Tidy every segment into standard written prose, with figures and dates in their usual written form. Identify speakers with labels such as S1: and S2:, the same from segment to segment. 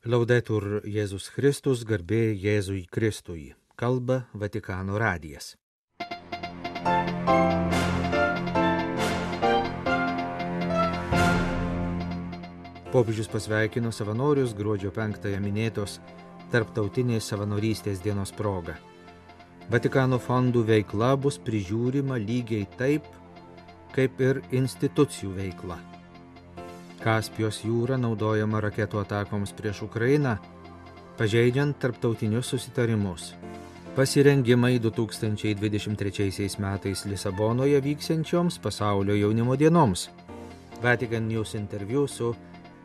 S1: Laudetur Jėzus Kristus, garbė Jėzui Kristui. Kalba Vatikano radijas. Popiežius pasveikino savanorius gruodžio 5-ąją minėtos Tarptautinės savanorystės dienos proga. Vatikano fondų veikla bus prižiūrima lygiai taip, kaip ir institucijų veikla. Kaspijos jūra naudojama raketų atakoms prieš Ukrainą, pažeidžiant tarptautinius susitarimus. Pasirengimai 2023 metais Lisabonoje vyksiančioms pasaulio jaunimo dienoms. Vatican News interviu su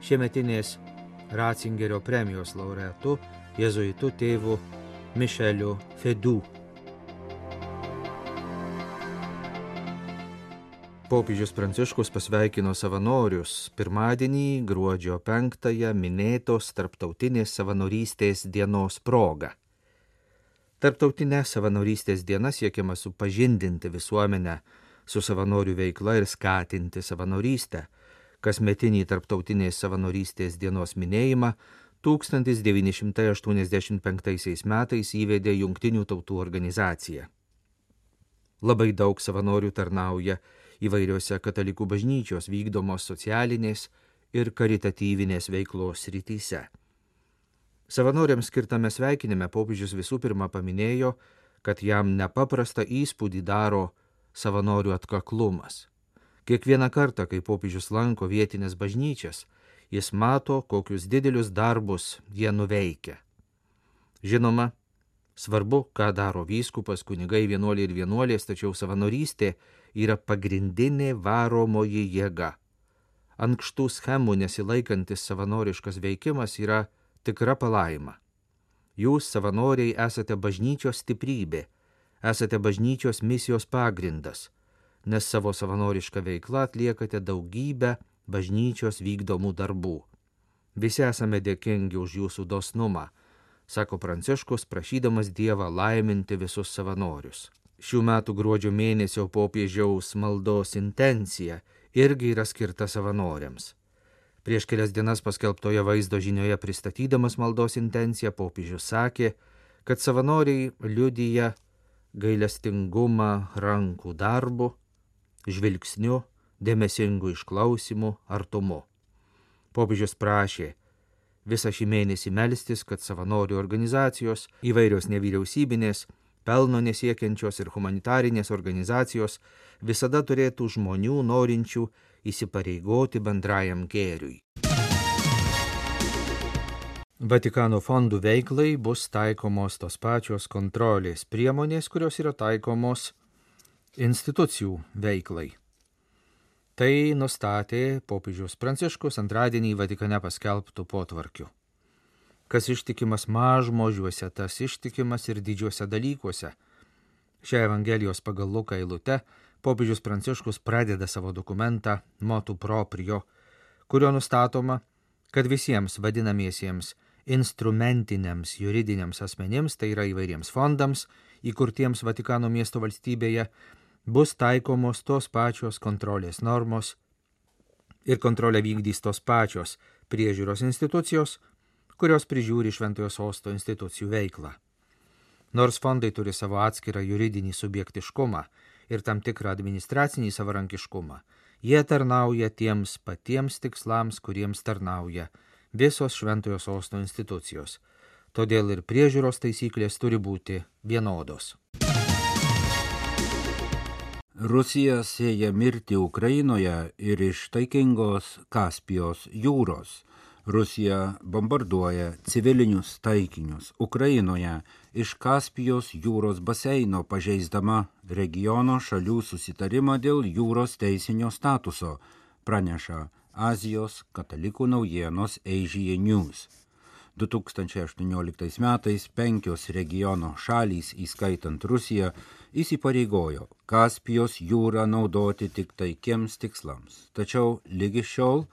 S1: šiemetinės Ratzingerio premijos laureatu, jėzuitu tėvu Mišeliu Fedu. Popiežius Pranciškus pasveikino savanorius pirmadienį gruodžio 5-ąją minėtos Tarptautinės savanorystės dienos proga. Tarptautinė savanorystės diena siekiama supažindinti visuomenę su savanorių veikla ir skatinti savanorystę. Kasmetinį Tarptautinės savanorystės dienos minėjimą 1985 metais įvedė Jungtinių tautų organizacija. Labai daug savanorių tarnauja įvairiose katalikų bažnyčios vykdomos socialinės ir karitatyvinės veiklos srityse. Savanoriams skirtame sveikinime popiežius visų pirma paminėjo, kad jam nepaprastą įspūdį daro savanorių atkaklumas. Kiekvieną kartą, kai popiežius lanko vietinės bažnyčias, jis mato, kokius didelius darbus jie nuveikia. Žinoma, svarbu, ką daro vyskupas, kunigai, vienuoliai ir vienuolės, tačiau savanorystė yra pagrindinė varomoji jėga. Ankštų schemų nesilaikantis savanoriškas veikimas yra tikra palaima. Jūs, savanoriai, esate bažnyčios stiprybė, esate bažnyčios misijos pagrindas, nes savo savanorišką veiklą atliekate daugybę bažnyčios vykdomų darbų. Visi esame dėkingi už jūsų dosnumą, sako Pranciškus, prašydamas Dievą laiminti visus savanorius. Šių metų gruodžio mėnesio popiežiaus maldos intencija irgi yra skirta savanoriams. Prieš kelias dienas paskelbtoje vaizdo žinioje pristatydamas maldos intenciją popiežius sakė, kad savanoriai liudija gailestingumą rankų darbu, žvilgsniu, dėmesingu išklausimu, artumu. Popiežius prašė visą šį mėnesį melstis, kad savanorių organizacijos, įvairios nevyriausybinės, pelno nesiekiančios ir humanitarinės organizacijos visada turėtų žmonių norinčių įsipareigoti bendrajam gėriui. Vatikano fondų veiklai bus taikomos tos pačios kontrolės priemonės, kurios yra taikomos institucijų veiklai. Tai nustatė popiežius Pranciškus antradienį Vatikane paskelbtų potvarkiu. Kas ištikimas mažmožiuose, tas ištikimas ir didžiuose dalykuose. Šią Evangelijos pagal Luką eilutę popiežius Pranciškus pradeda savo dokumentą Motu proprio, kurio nustatoma, kad visiems vadinamiesiems instrumentiniams juridiniams asmenims, tai yra įvairiems fondams, įkurtiems Vatikano miesto valstybėje, bus taikomos tos pačios kontrolės normos ir kontrolę vykdys tos pačios priežiūros institucijos, kurios prižiūri Šventojo Sosto institucijų veiklą. Nors fondai turi savo atskirą juridinį subjektiškumą ir tam tikrą administracinį savarankiškumą, jie tarnauja tiems patiems tikslams, kuriems tarnauja visos Šventojo Sosto institucijos. Todėl ir priežiūros taisyklės turi būti vienodos.
S2: Rusija sieja mirtį Ukrainoje ir iš taikingos Kaspijos jūros. Rusija bombarduoja civilinius taikinius Ukrainoje iš Kaspijos jūros baseino, pažeisdama regiono šalių susitarimą dėl jūros teisinio statuso, praneša Azijos katalikų naujienos Asia News. 2018 metais 5 regiono šalys, įskaitant Rusiją, įsipareigojo Kaspijos jūrą naudoti tik taikiems tikslams. Tačiau lygi šiol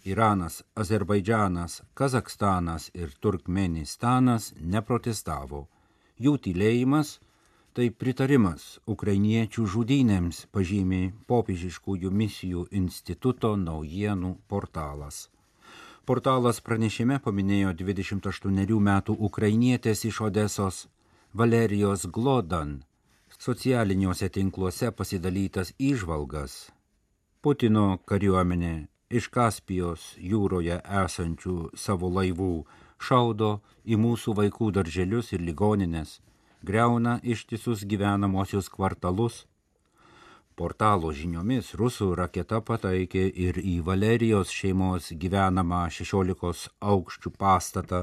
S2: Iranas, Azerbaidžanas, Kazakstanas ir Turkmenistanas neprotestavo. Jų tylėjimas tai pritarimas ukrainiečių žudynėms, pažymi Popiežiškųjų misijų instituto naujienų portalas. Portalas pranešime paminėjo 28 metų ukrainietės iš Odesos Valerijos Glodan socialiniuose tinkluose pasidalytas įžvalgas. Putino kariuomenė iš Kaspijos jūroje esančių savo laivų šaudo į mūsų vaikų darželius ir ligonines, griauna ištisus gyvenamosius kvartalus. Portalo žiniomis rusų raketa pataikė ir į Valerijos šeimos gyvenamą 16 aukščių pastatą,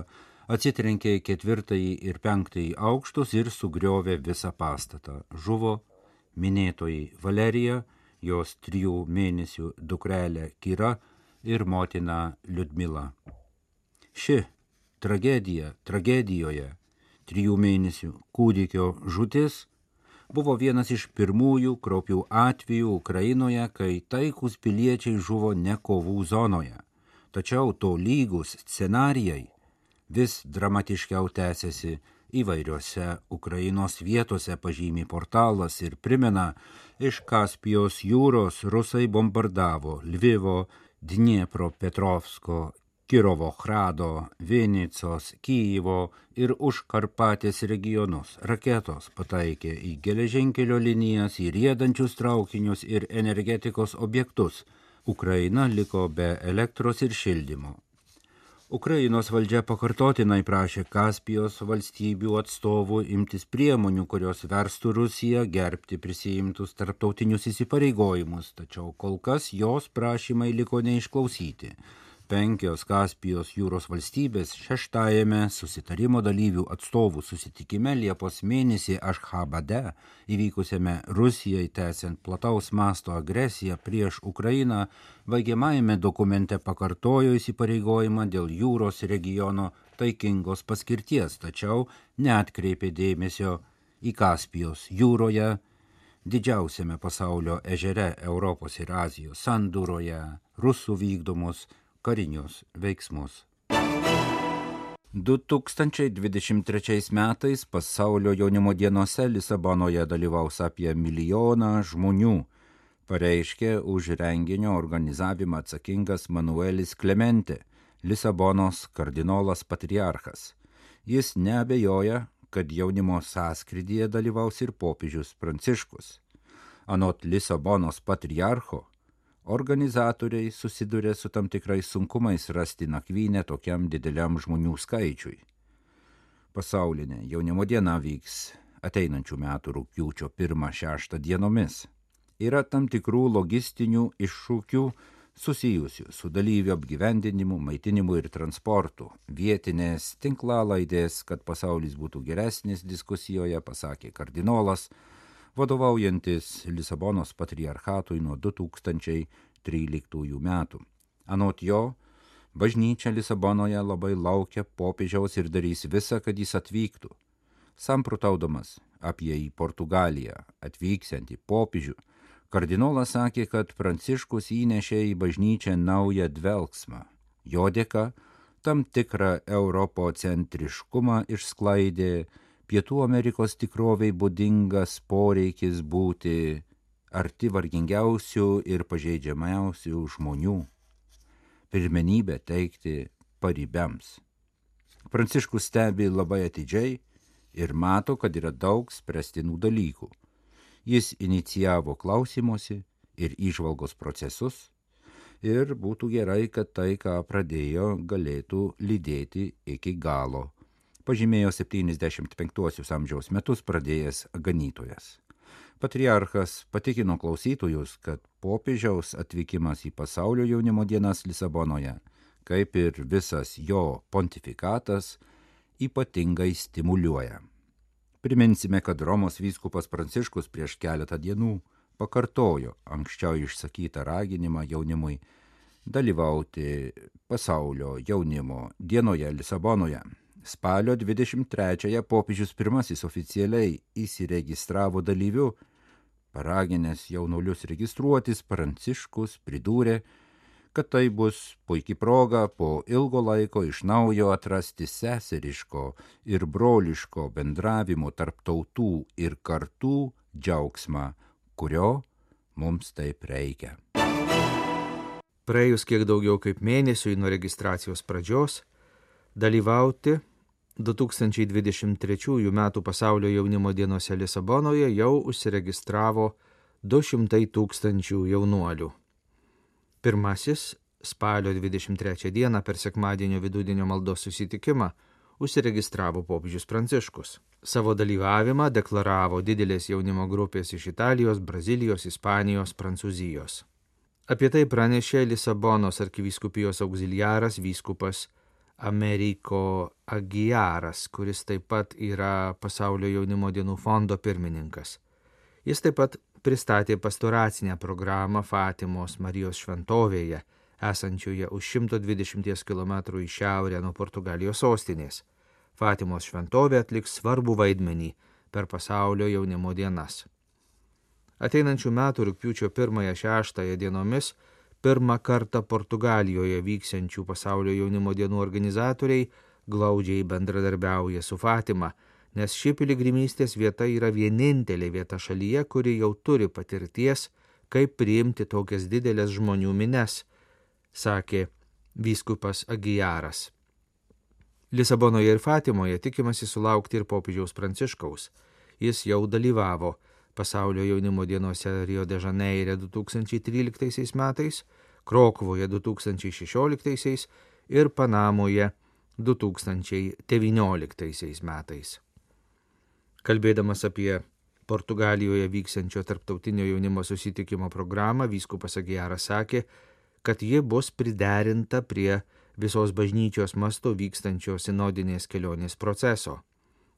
S2: atsitrenkė į 4. ir 5. aukštus ir sugriovė visą pastatą. Žuvo minėtoji Valerija, jos 3 mėnesių dukrelė Kira ir motina Liudmila. Ši tragedijoje 3 mėnesių kūdikio žūtis buvo vienas iš pirmųjų kraupių atvejų Ukrainoje, kai taikūs piliečiai žuvo ne kovų zonoje. Tačiau tolygus scenarijai vis dramatiškiau tęsiasi įvairiose Ukrainos vietose, pažymi portalas ir primena, iš Kaspijos jūros rusai bombardavo Lvivo, Dniepropetrovsko, Kirovohrado, Vinicos, Kyjivo ir Užkarpatės regionus. Raketos pataikė į geležinkelio linijas, į riedančius traukinius ir energetikos objektus. Ukraina liko be elektros ir šildymo. Ukrainos valdžia pakartotinai prašė Kaspijos valstybių atstovų imtis priemonių, kurios verstų Rusiją gerbti prisiimtus tarptautinius įsipareigojimus, tačiau kol kas jos prašymai liko neišklausyti. 5 Kaspijos jūros valstybės 6. susitarimo dalyvių atstovų susitikime Liepos mėnesį Ašchabade įvykusiame Rusijai tęsiant plataus masto agresiją prieš Ukrainą baigiamajame dokumente pakartojo įsipareigojimą dėl jūros regiono taikingos paskirties, tačiau neatkreipė dėmesio į Kaspijos jūroje, didžiausiame pasaulio ežere Europos ir Azijos sandūroje, rusų vykdomus karinius veiksmus. 2023 metais pasaulio jaunimo dienose Lisabonoje dalyvaus apie 1 milijoną žmonių, pareiškė už renginio organizavimą atsakingas Manuelis Clemente, Lisabonos kardinolas patriarchas. Jis neabejoja, kad jaunimo sąskrydyje dalyvaus ir popiežius Pranciškus. Anot Lisabonos patriarcho, organizatoriai susiduria su tam tikrais sunkumais rasti nakvynę tokiam dideliam žmonių skaičiui. Pasaulinė jaunimo diena vyks ateinančių metų rugpjūčio 1-6 dienomis. Yra tam tikrų logistinių iššūkių susijusių su dalyvių apgyvendinimu, maitinimu ir transportu. Vietinės tinklalaidės, kad pasaulis būtų geresnis diskusijoje, pasakė kardinolas, vadovaujantis Lisabonos patriarchatui nuo 2013 metų. Anot jo, bažnyčia Lisabonoje labai laukia popiežiaus ir darys visą, kad jis atvyktų. Samprotaudamas apie į Portugaliją atvyksiantį popiežių, kardinolas sakė, kad Pranciškus įnešė į bažnyčią naują dvelksmą. Jo dėka tam tikrą europocentriškumą išsklaidė Pietų Amerikos tikroviai būdingas poreikis būti arti vargingiausių ir pažeidžiamiausių žmonių, pirmenybę teikti paribiams. Pranciškus stebi labai atidžiai ir mato, kad yra daug spręstinų dalykų. Jis inicijavo klausimosi ir įžvalgos procesus ir būtų gerai, kad tai, ką pradėjo, galėtų lydėti iki galo, pažymėjo 75 amžiaus metus pradėjęs ganytojas. Patriarchas patikino klausytojus, kad popiežiaus atvykimas į pasaulio jaunimo dienas Lisabonoje, kaip ir visas jo pontifikatas, ypatingai stimuliuoja. Priminsime, kad Romos vyskupas Pranciškus prieš keletą dienų pakartojo anksčiau išsakytą raginimą jaunimui dalyvauti pasaulio jaunimo dienoje Lisabonoje. Spalio 23-ąją popiežius pirmasis oficialiai įsiregistravo dalyviu, paraginęs jaunuolius registruotis, Pranciškus pridūrė, kad tai bus puikia proga po ilgo laiko iš naujo atrasti seseriško ir broliško bendravimo tarp tautų ir kartų džiaugsmą, kurio mums taip reikia.
S1: praėjus kiek daugiau kaip mėnesiui nuo registracijos pradžios, dalyvauti 2023 m. pasaulio jaunimo dienose Lisabonoje jau užsiregistravo 200 000 jaunuolių. Pirmasis spalio 23 dieną per sekmadienio vidudienio maldos susitikimą užsiregistravo popiežius Pranciškus. Savo dalyvavimą deklaravo didelės jaunimo grupės iš Italijos, Brazilijos, Ispanijos, Prancūzijos. Apie tai pranešė Lisabonos arkivyskupijos auxiliaras vyskupas Americo Aguiaras, kuris taip pat yra Pasaulio jaunimo dienų fondo pirmininkas. Jis taip pat pristatė pastoracinę programą Fatimos Marijos šventovėje, esančioje už 120 km į šiaurę nuo Portugalijos sostinės. Fatimos šventovė atliks svarbų vaidmenį per Pasaulio jaunimo dienas. Ateinančių metų rugpjūčio 1-6 dienomis pirmą kartą Portugalijoje vyksiančių Pasaulio jaunimo dienų organizatoriai glaudžiai bendradarbiauja su Fatima, nes ši piligrimystės vieta yra vienintelė vieta šalyje, kuri jau turi patirties, kaip priimti tokias didelės žmonių mines, sakė vyskupas Aguiaras. Lisabonoje ir Fatimoje tikimasi sulaukti ir popiežiaus Pranciškaus. Jis jau dalyvavo Pasaulio jaunimo dienose Rio de Žaneire 2013 metais, Krokuvoje 2016 ir Panamoje 2019 metais. Kalbėdamas apie Portugalijoje vyksiančio tarptautinio jaunimo susitikimo programą, vyskupas Aguiaras sakė, kad ji bus priderinta prie visos bažnyčios mastu vykstančios sinodinės kelionės proceso.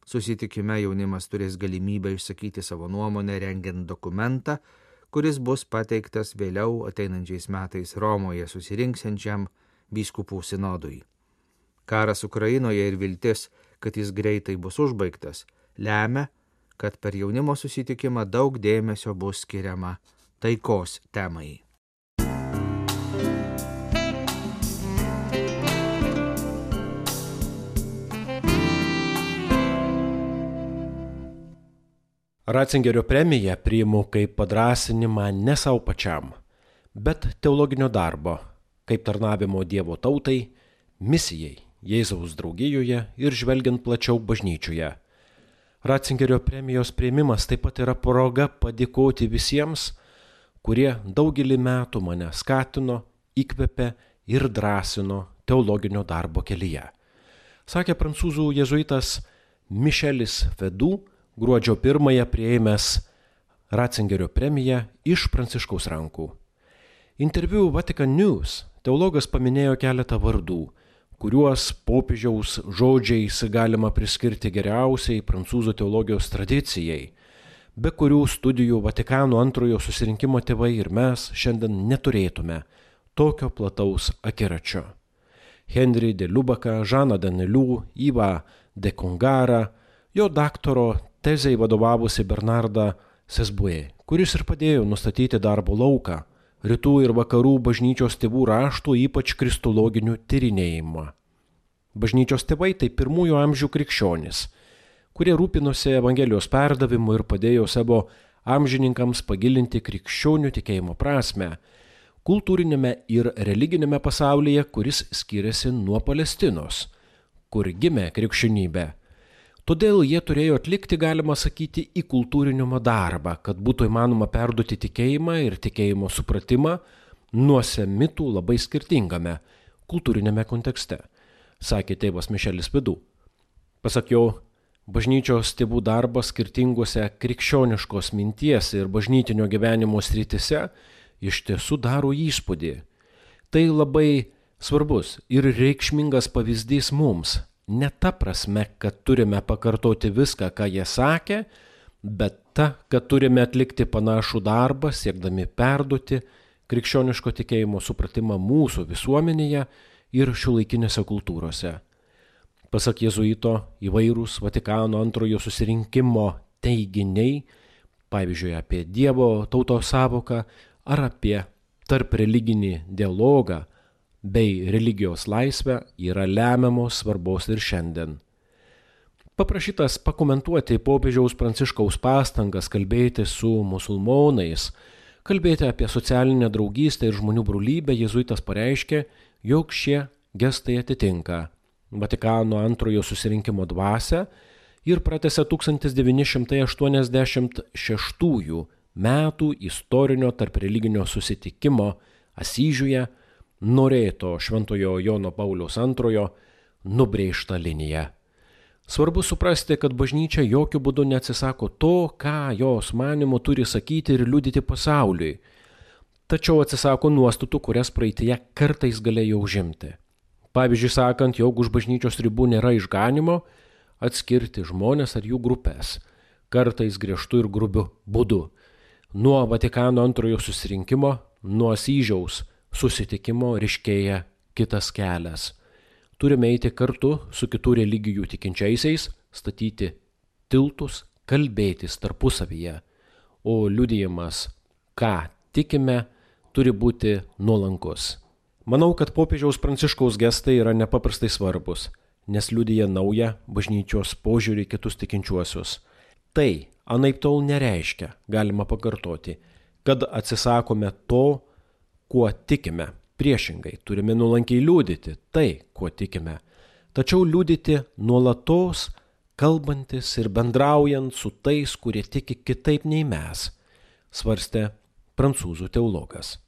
S1: Susitikime jaunimas turės galimybę išsakyti savo nuomonę rengiant dokumentą, kuris bus pateiktas vėliau ateinančiais metais Romoje susirinksiančiam vyskupų sinodui. Karas Ukrainoje ir viltis, kad jis greitai bus užbaigtas, lemia, kad per jaunimo susitikimą daug dėmesio bus skiriama taikos temai.
S3: Ratzingerio premiją priimu kaip padrąsinimą ne savo pačiam, bet teologinio darbo, kaip tarnavimo Dievo tautai, misijai Jėzaus draugijoje ir žvelgiant plačiau bažnyčioje. Ratzingerio premijos priėmimas taip pat yra proga padėkoti visiems, kurie daugelį metų mane skatino, įkvėpė ir drąsino teologinio darbo kelyje. Sakė prancūzų jėzuitas Michelis Fedų, gruodžio 1 priėmęs Ratzingerio premiją iš Pranciškaus rankų. Interviu Vatican News teologas paminėjo keletą vardų, kuriuos popiežiaus žodžiais galima priskirti geriausiai prancūzų teologijos tradicijai, be kurių studijų Vatikano antrojo susirinkimo tėvai ir mes šiandien neturėtume tokio plataus akiračio. Henri de Lubaką, Žaną Danelių, Yvą de Congarą, jo daktaro tezei vadovavusi Bernardą Sesbuė, kuris ir padėjo nustatyti darbo lauką, rytų ir vakarų bažnyčios tėvų raštų, ypač kristologinių tyrinėjimą. Bažnyčios tėvai tai pirmųjų amžių krikščionys, kurie rūpinosi Evangelijos perdavimu ir padėjo savo amžininkams pagilinti krikščionių tikėjimo prasme, kultūrinėme ir religinėme pasaulyje, kuris skiriasi nuo Palestinos, kur gimė krikščionybė. Todėl jie turėjo atlikti, galima sakyti, įkultūrinimo darbą, kad būtų įmanoma perduoti tikėjimą ir tikėjimo supratimą nuo semitų labai skirtingame kultūrinėme kontekste, sakė tėvas Michelis Fedų. Pasak jo, bažnyčios tėvų darbas skirtingose krikščioniškos minties ir bažnytinio gyvenimo srityse iš tiesų daro įspūdį. Tai labai svarbus ir reikšmingas pavyzdys mums. Ne ta prasme, kad turime pakartoti viską, ką jie sakė, bet ta, kad turime atlikti panašų darbą, siekdami perduoti krikščioniško tikėjimo supratimą mūsų visuomenėje ir šiuolaikinėse kultūrose. Pasak jėzuito, įvairūs Vatikano antrojo susirinkimo teiginiai, pavyzdžiui, apie Dievo tautos sąvoką ar apie tarp religinį dialogą, bei religijos laisvę yra lemiamos svarbos ir šiandien. Paprašytas pakomentuoti popiežiaus Pranciškaus pastangas kalbėti su musulmonais, Kalbėti apie socialinę draugystę ir žmonių brolybę jėzuitas pareiškė, jog šie gestai atitinka Vatikano antrojo susirinkimo dvasią ir pratęsė 1986 metų istorinio tarpreliginio susitikimo Asyžiuje norėto Šventojo Jono Pauliaus II nubrėžtą liniją. Svarbu suprasti, kad bažnyčia jokių būdų neatsisako to, ką jos manymu turi sakyti ir liudyti pasauliui, tačiau atsisako nuostatų, kurias praeityje kartais galėjo užimti. Pavyzdžiui, sakant, jog už bažnyčios ribų nėra išganimo, atskirti žmonės ar jų grupės, kartais griežtų ir grubių būdų. Nuo Vatikano antrojo susirinkimo, nuo Asyžiaus susitikimo ryškėja kitas kelias. Turime eiti kartu su kitų religijų tikinčiaisiais, statyti tiltus, kalbėtis tarpusavyje, o liudijimas, ką tikime, turi būti nuolankus. Manau, kad popiežiaus Pranciškaus gestai yra nepaprastai svarbus, nes liudija naują bažnyčios požiūrį į kitus tikinčiuosius. Tai anaiptol nereiškia, galima pakartoti, kad atsisakome to, kuo tikime. Priešingai, turime nuolankiai liudyti tai, kuo tikime, tačiau liudyti nuolatos, kalbantis ir bendraujant su tais, kurie tiki kitaip nei mes, svarstė prancūzų teologas.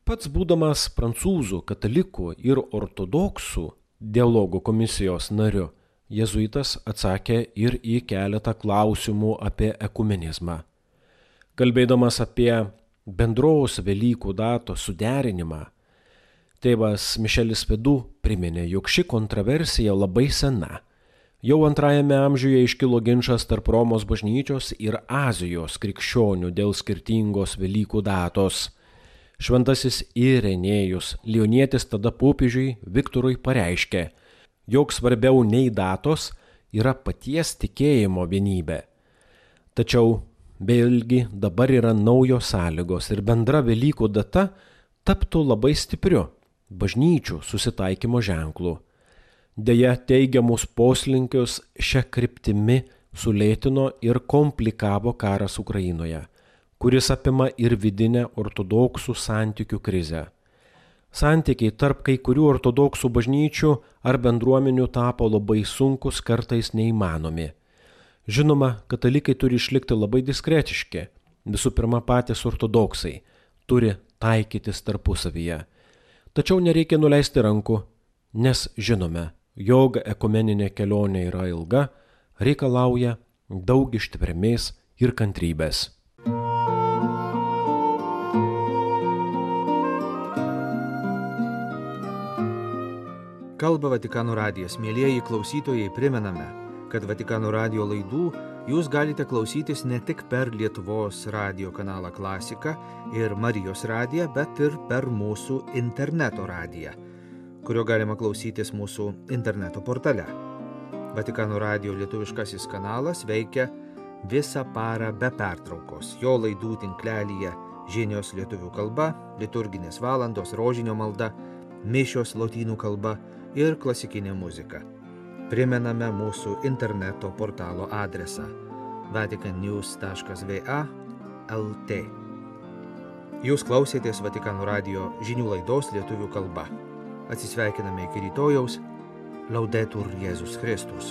S3: Pats būdamas prancūzų, katalikų ir ortodoksų dialogo komisijos nariu, jėzuitas atsakė ir į keletą klausimų apie ekumenizmą. Kalbėdamas apie bendros Velykų datos suderinimą, tėvas Mišelis Vidu priminė, jog ši kontroversija labai sena. Jau antrajame amžiuje iškilo ginčas tarp Romos bažnyčios ir Azijos krikščionių dėl skirtingos Velykų datos. Šventasis Irenėjus Lionietis tada popiežiui Viktorui pareiškė, jog svarbiau nei datos yra paties tikėjimo vienybė. Tačiau vėlgi dabar yra naujos sąlygos ir bendra Velykų data taptų labai stipriu bažnyčių susitaikymo ženklu. Deja, teigiamus poslinkius šią kryptimi sulėtino ir komplikavo karas Ukrainoje, kuris apima ir vidinę ortodoksų santykių krizę. Santykiai tarp kai kurių ortodoksų bažnyčių ar bendruomenių tapo labai sunkus, kartais neįmanomi. Žinoma, katalikai turi išlikti labai diskretiški. Visų pirma, patys ortodoksai turi taikytis tarpusavyje. Tačiau nereikia nuleisti rankų, nes žinome, jog ekumeninė kelionė yra ilga, reikalauja daug ištvermės ir kantrybės.
S1: Kalba Vatikano radijas. Mielieji klausytojai, primename, kad Vatikano radijo laidų jūs galite klausytis ne tik per Lietuvos radijo kanalą Klasika ir Marijos radiją, bet ir per mūsų interneto radiją, kurio galima klausytis mūsų interneto portale. Vatikano radijo lietuviškasis kanalas veikia visą parą be pertraukos. Jo laidų tinklelyje žinios lietuvių kalba, liturginės valandos, rožinio malda, mišios lotynų kalba ir klasikinė muzika. Primename mūsų interneto portalo adresą vaticannews.va/lt. Jūs klausėtės Vatikano radijo žinių laidos lietuvių kalba. Atsisveikiname iki rytojaus. Laudetur Jėzus Kristus.